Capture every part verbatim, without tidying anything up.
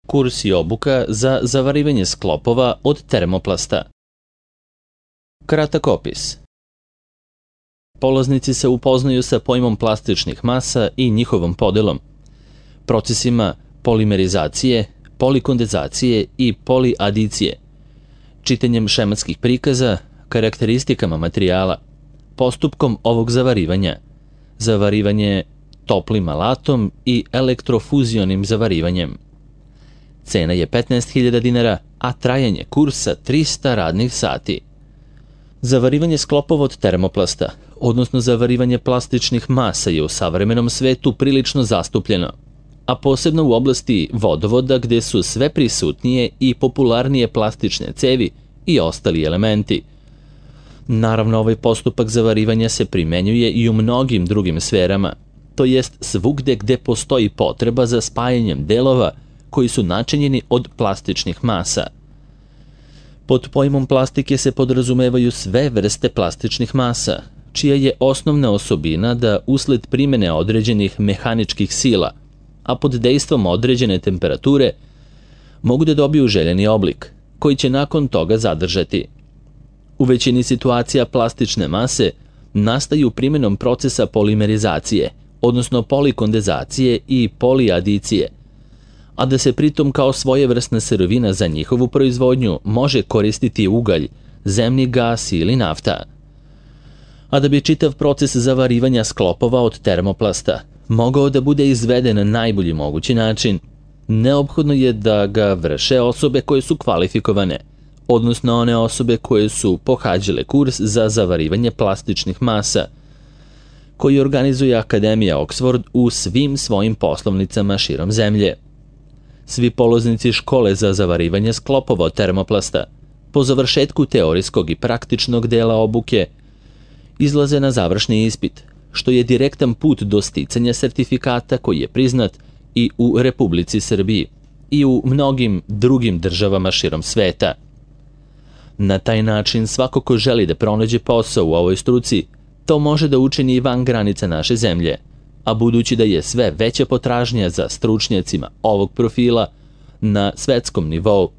Kurs i obuka za zavarivanje sklopova od termoplasta. Kratak opis. Polaznici se upoznaju sa pojmom plastičnih masa i njihovom podelom, procesima polimerizacije, polikondenzacije i poliadicije, čitanjem šematskih prikaza, karakteristikama materijala, postupkom ovog zavarivanja, zavarivanje toplim alatom i elektrofuzionim zavarivanjem. Cena je petnaest hiljada dinara, a trajanje kursa trista radnih sati. Zavarivanje sklopova od termoplasta, odnosno zavarivanje plastičnih masa, je u savremenom svetu prilično zastupljeno, a posebno u oblasti vodovoda gde su sve prisutnije i popularnije plastične cevi i ostali elementi. Naravno, ovaj postupak zavarivanja se primenjuje i u mnogim drugim sferama, to jest svugde gde postoji potreba za spajanjem delova koji su načinjeni od plastičnih masa. Pod pojmom plastike se podrazumevaju sve vrste plastičnih masa, čija je osnovna osobina da usled primene određenih mehaničkih sila, a pod dejstvom određene temperature, mogu da dobiju željeni oblik, koji će nakon toga zadržati. U većini situacija plastične mase nastaju primjenom procesa polimerizacije, odnosno polikondenzacije i poliadicije, a da se pritom kao svojevrsna sirovina za njihovu proizvodnju može koristiti ugalj, zemni gas ili nafta. A da bi čitav proces zavarivanja sklopova od termoplasta mogao da bude izveden na najbolji mogući način, neophodno je da ga vrše osobe koje su kvalifikovane, odnosno one osobe koje su pohađale kurs za zavarivanje plastičnih masa, koji organizuje Akademija Oxford u svim svojim poslovnicama širom zemlje. Svi polaznici škole za zavarivanje sklopova od termoplasta, po završetku teorijskog i praktičnog dela obuke, izlaze na završni ispit, što je direktan put do sticanja sertifikata koji je priznat i u Republici Srbiji i u mnogim drugim državama širom sveta. Na taj način svako ko želi da pronađe posao u ovoj struci, to može da učini i van granica naše zemlje, a budući da je sve veća potražnja za stručnjacima ovog profila na svetskom nivou,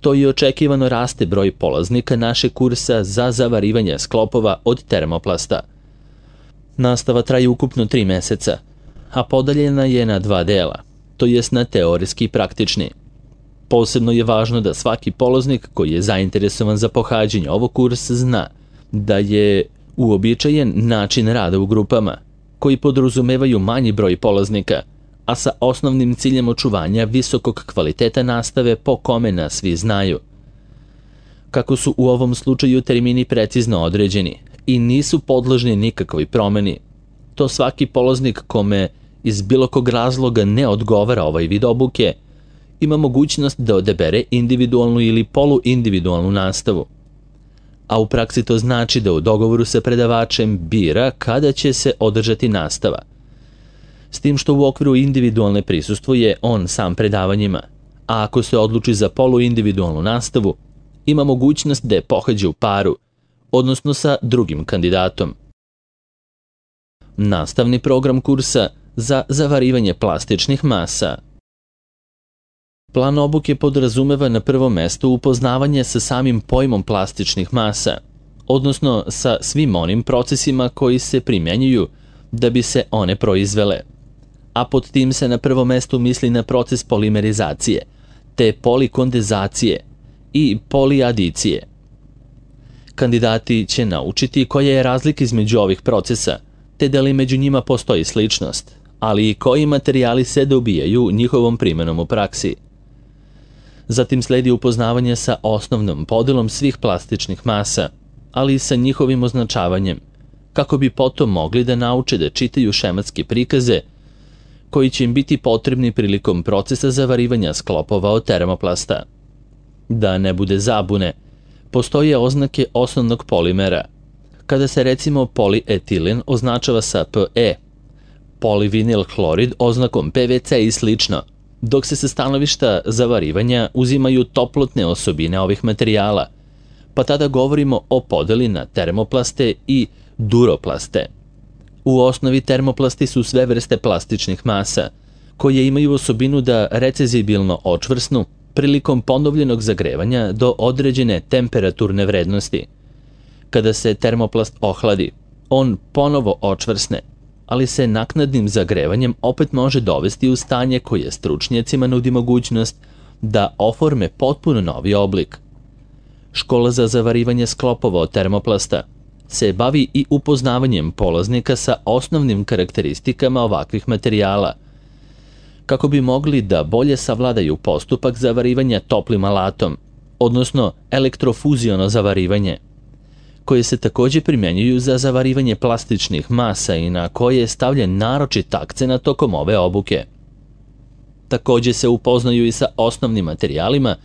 to i očekivano raste broj polaznika našeg kursa za zavarivanje sklopova od termoplasta. Nastava traje ukupno tri meseca, a podeljena je na dva dela, to jest na teorijski i praktični. Posebno je važno da svaki polaznik koji je zainteresovan za pohađanje ovog kursa zna da je uobičajen način rada u grupama, koji podrazumevaju manji broj polaznika, a sa osnovnim ciljem očuvanja visokog kvaliteta nastave po kome nas svi znaju. Kako su u ovom slučaju termini precizno određeni i nisu podložni nikakvoj promeni, to svaki polaznik kome iz bilo kog razloga ne odgovara ovaj vid obuke, ima mogućnost da odabere individualnu ili poluindividualnu nastavu. A u praksi to znači da u dogovoru sa predavačem bira kada će se održati nastava. S tim što u okviru individualne prisustvuje on sam predavanjima, a ako se odluči za poluindividualnu nastavu, ima mogućnost da je pohađa u paru, odnosno sa drugim kandidatom. Nastavni program kursa za zavarivanje plastičnih masa. Plan obuke podrazumeva na prvom mestu upoznavanje sa samim pojmom plastičnih masa, odnosno sa svim onim procesima koji se primjenjuju da bi se one proizvele. A pod tim se na prvom mestu misli na proces polimerizacije, te polikondenzacije i poliadicije. Kandidati će naučiti koja je razlika između ovih procesa, te da li među njima postoji sličnost, ali i koji materijali se dobijaju njihovom primenom u praksi. Zatim sledi upoznavanje sa osnovnom podelom svih plastičnih masa, ali i sa njihovim označavanjem, kako bi potom mogli da nauče da čitaju šematske prikaze koji će im biti potrebni prilikom procesa zavarivanja sklopova od termoplasta. Da ne bude zabune, postoje oznake osnovnog polimera. Kada se recimo polietilen označava sa Pe, polivinil hlorid oznakom Pe Ve Ce i slično, dok se sa stanovišta zavarivanja uzimaju toplotne osobine ovih materijala, pa tada govorimo o podeli na termoplaste i duroplaste. U osnovi termoplasti su sve vrste plastičnih masa, koje imaju osobinu da recezibilno očvrsnu prilikom ponovljenog zagrevanja do određene temperaturne vrednosti. Kada se termoplast ohladi, on ponovo očvrsne, ali se naknadnim zagrevanjem opet može dovesti u stanje koje stručnjacima nudi mogućnost da oforme potpuno novi oblik. Škola za zavarivanje sklopova od termoplasta se bavi i upoznavanjem polaznika sa osnovnim karakteristikama ovakvih materijala, kako bi mogli da bolje savladaju postupak zavarivanja toplim alatom, odnosno elektrofuziono zavarivanje, koje se također primjenjuju za zavarivanje plastičnih masa i na koje je stavljen naročit akcenat tokom ove obuke. Također se upoznaju i sa osnovnim materijalima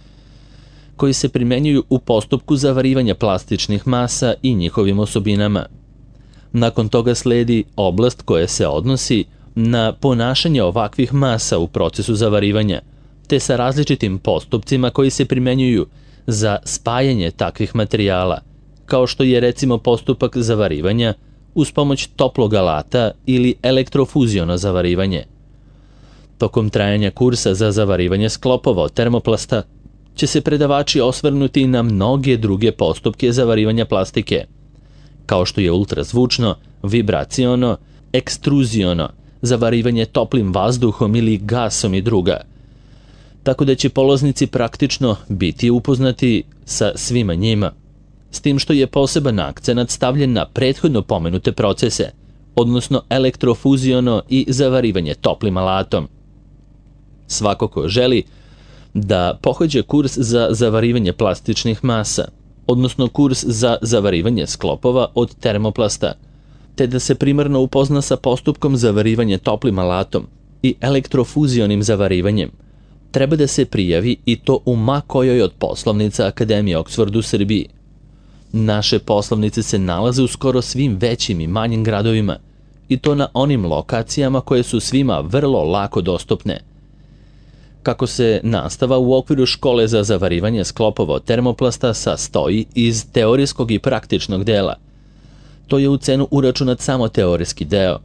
koji se primjenjuju u postupku zavarivanja plastičnih masa i njihovim osobinama. Nakon toga sledi oblast koja se odnosi na ponašanje ovakvih masa u procesu zavarivanja, te sa različitim postupcima koji se primjenjuju za spajanje takvih materijala, kao što je recimo postupak zavarivanja uz pomoć toplog alata ili elektrofuziono zavarivanje. Tokom trajanja kursa za zavarivanje sklopova od termoplasta će se predavači osvrnuti na mnoge druge postupke zavarivanja plastike, kao što je ultrazvučno, vibraciono, ekstruziono, zavarivanje toplim vazduhom ili gasom i druga, tako da će polaznici praktično biti upoznati sa svima njima, s tim što je poseban akcenat stavljen na prethodno pomenute procese, odnosno elektrofuziono i zavarivanje toplim alatom. Svako ko želi da pohađa kurs za zavarivanje plastičnih masa, odnosno kurs za zavarivanje sklopova od termoplasta, te da se primarno upozna sa postupkom zavarivanja toplim alatom i elektrofuzionim zavarivanjem, treba da se prijavi i to u ma kojoj od poslovnica Akademije Oxford u Srbiji. Naše poslovnice se nalaze u skoro svim većim i manjim gradovima, i to na onim lokacijama koje su svima vrlo lako dostupne. Kako se nastava u okviru škole za zavarivanje sklopova od termoplasta sastoji iz teorijskog i praktičnog dela, to je u cenu uračunat samo teorijski deo,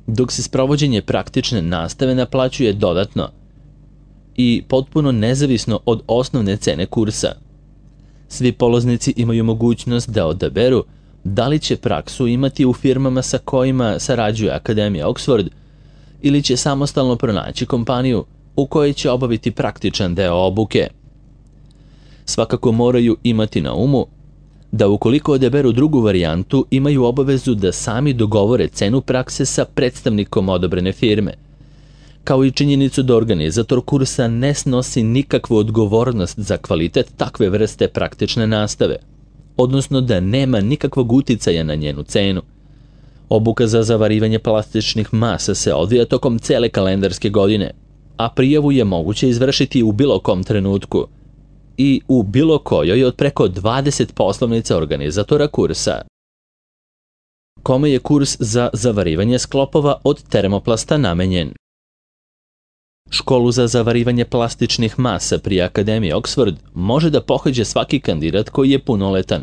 dok se sprovođenje praktične nastave naplaćuje dodatno i potpuno nezavisno od osnovne cene kursa. Svi polaznici imaju mogućnost da odaberu da li će praksu imati u firmama sa kojima sarađuje Akademija Oxford ili će samostalno pronaći kompaniju u kojoj će obaviti praktičan deo obuke. Svakako moraju imati na umu da ukoliko odaberu drugu varijantu imaju obavezu da sami dogovore cenu prakse sa predstavnikom odabrane firme, kao i činjenicu da organizator kursa ne snosi nikakvu odgovornost za kvalitet takve vrste praktične nastave, odnosno da nema nikakvog uticaja na njenu cenu. Obuka za zavarivanje plastičnih masa se odvija tokom cele kalendarske godine, a prijavu je moguće izvršiti u bilo kom trenutku i u bilo kojoj od preko dvadeset poslovnica organizatora kursa. Kome je kurs za zavarivanje sklopova od termoplasta namenjen? Školu za zavarivanje plastičnih masa pri Akademiji Oxford može da pohađa svaki kandidat koji je punoletan,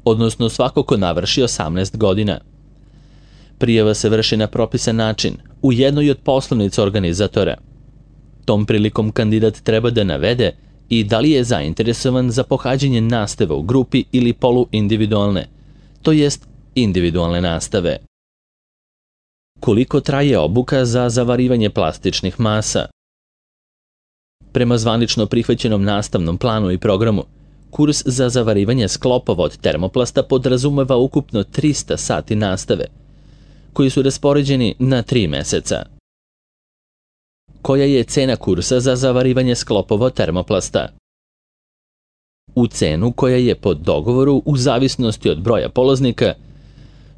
odnosno svako ko navrši osamnaest godina. Prijava se vrši na propisan način u jednoj od poslovnica organizatora. Tom prilikom kandidat treba da navede i da li je zainteresovan za pohađanje nastave u grupi ili poluindividualne, to jest individualne nastave. Koliko traje obuka za zavarivanje plastičnih masa? Prema zvanično prihvaćenom nastavnom planu i programu, kurs za zavarivanje sklopova od termoplasta podrazumeva ukupno trista sati nastave, koji su raspoređeni na tri meseca. Koja je cena kursa za zavarivanje sklopova od termoplasta? U cenu koja je po dogovoru u zavisnosti od broja polaznika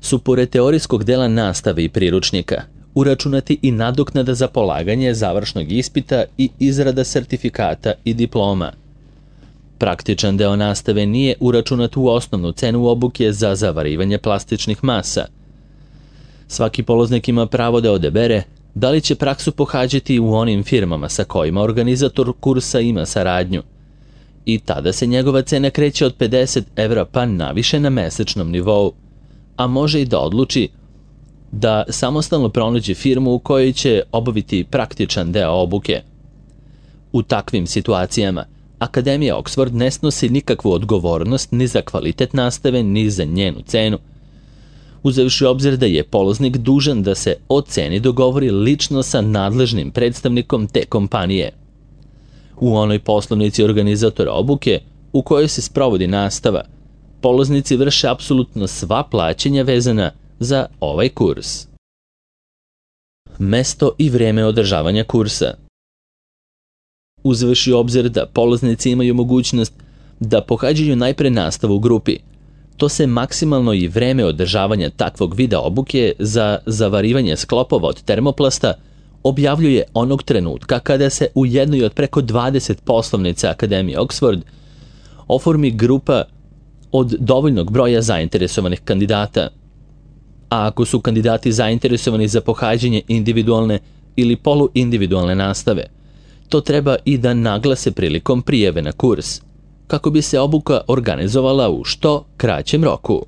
su pored teorijskog dela nastave i priručnika uračunati i nadoknada za polaganje završnog ispita i izrada sertifikata i diploma. Praktičan deo nastave nije uračunat u osnovnu cenu obuke za zavarivanje plastičnih masa. Svaki polaznik ima pravo da odabere da li će praksu pohađati u onim firmama sa kojima organizator kursa ima saradnju, i tada se njegova cena kreće od pedeset evra pa naviše na mesečnom nivou, a može i da odluči da samostalno pronađe firmu u kojoj će obaviti praktičan deo obuke. U takvim situacijama Akademija Oxford ne snosi nikakvu odgovornost ni za kvalitet nastave, ni za njenu cenu, uzevši u obzir da je polaznik dužan da se o ceni dogovori lično sa nadležnim predstavnikom te kompanije. U onoj poslovnici organizatora obuke u kojoj se sprovodi nastava, polaznici vrše apsolutno sva plaćanja vezana za ovaj kurs. Mesto i vreme održavanja kursa. Uzevši u obzir da polaznici imaju mogućnost da pohađaju najpre nastavu u grupi, to se maksimalno i vreme održavanja takvog vida obuke za zavarivanje sklopova od termoplasta objavljuje onog trenutka kada se u jednoj od preko dvadeset poslovnica Akademije Oxford oformi grupa od dovoljnog broja zainteresovanih kandidata. A ako su kandidati zainteresovani za pohađanje individualne ili poluindividualne nastave, to treba i da naglase prilikom prijave na kurs, kako bi se obuka organizovala u što kraćem roku.